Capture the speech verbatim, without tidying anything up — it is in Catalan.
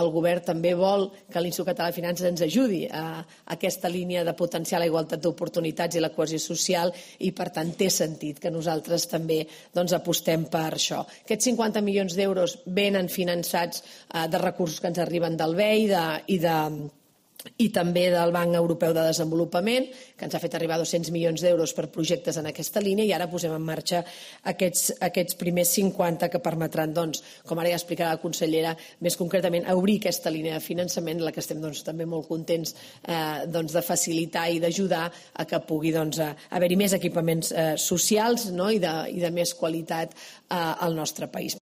el govern també vol que l'Institut Català de Finances ens ajudi a aquesta línia de potenciar la igualtat d'oportunitats i la cohesió social i, per tant, té sentit que nosaltres també apostem per això. Aquests cinquanta milions d'euros venen finançats de recursos que ens arriben del B E I i de i també del Banc Europeu de Desenvolupament, que ens ha fet arribar dos-cents milions d'euros per projectes en aquesta línia, i ara posem en marxa aquests, aquests primers cinquanta que permetran, doncs, com ara ja explicarà la consellera, més concretament, obrir aquesta línia de finançament, en la que estem doncs, també molt contents eh, doncs, de facilitar i d'ajudar a que pugui doncs, haver-hi més equipaments eh, socials, no? I, de, i de més qualitat eh, al nostre país.